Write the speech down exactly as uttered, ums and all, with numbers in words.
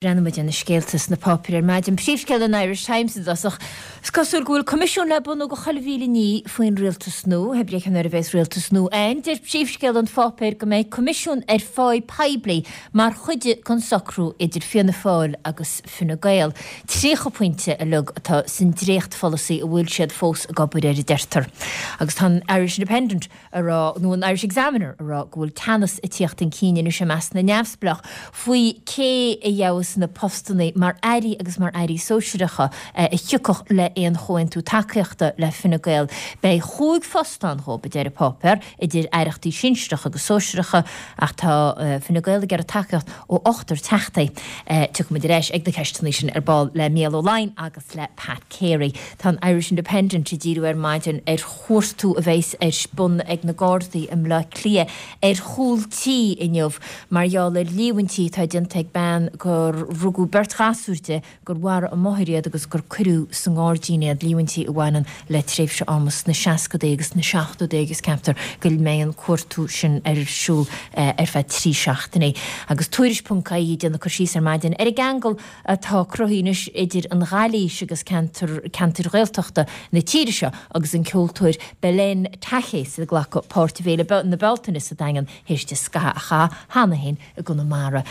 Breathnóidh muid ar na scéalta sna páipéir ar maidin. Príomhscéal an Irish Times i dtosach. Is cosúil go bhfuil coimisiún le bunú do chuile mhíle ní faoin rialtas nua. Hé brí nuair a bheas rialtas nua ann. Deir príomhscéal an pháipéir go mbeidh coimisiún ar pháí poiblí mar chuid den socrú idir Fianna Fáil agus Fine Gael. Tríocha pointe uilig atá san dréachtpholasaí a bhfuil siad fós ag obair air a deirtear. Agus tá an Irish Independent a rá nó an Irish Examiner a rá go bhfuil teannas ag tíocht chun cinn anois i measc na neamhspleách faoi cé a gheobhas na postanna mar airí agus mar airí sóisearacha a thiocfadh le aon chomhaontú tacaíochta le Fine Gael. Beidh chúig phost ann dhóibh a deir an páipéar idir aireachtaí sinsearacha agus sóisearacha ach tá Fine Gael ag iarraidh tacaíocht ó ochtar teachtaí. Tiocfaimid ar ais ag na ceisteanna sin ar ball le Mícheál Ó Laighin agus le Pat Carey. Tá an Irish Independent ag díriú ar maidin ar chuartú a bheas ar bun ag na Gardaí i mBleá Cliath ar chúl tí inniu mar gheall ar líomhaintí atá déanta ag bean gur rugadh beirt ghasúr di gur mharaigh a máthair iad agus gur cuireadh sa ngairdín iad líomhaintí a bhaineann le tréimhse ama sna seascadaí agus sna seachtóidí agus ceaptar go mbeidh an cuartú sin ar siúl ar feadh trí seachtainí. Agus tuairisc ponc ie ag déanamh cur síos ar maidin ar an gceangal atá cruthaithe anois idir an Ghailís agus ceantar ceantair Ghaeltachta na tíre seo agus an ceoltóir Belén Tajes ag glacadh páirt i bhFéile na Bealtaine sa Daingean théis di scaitheamh a chaitheamh cheana féin i gConamara.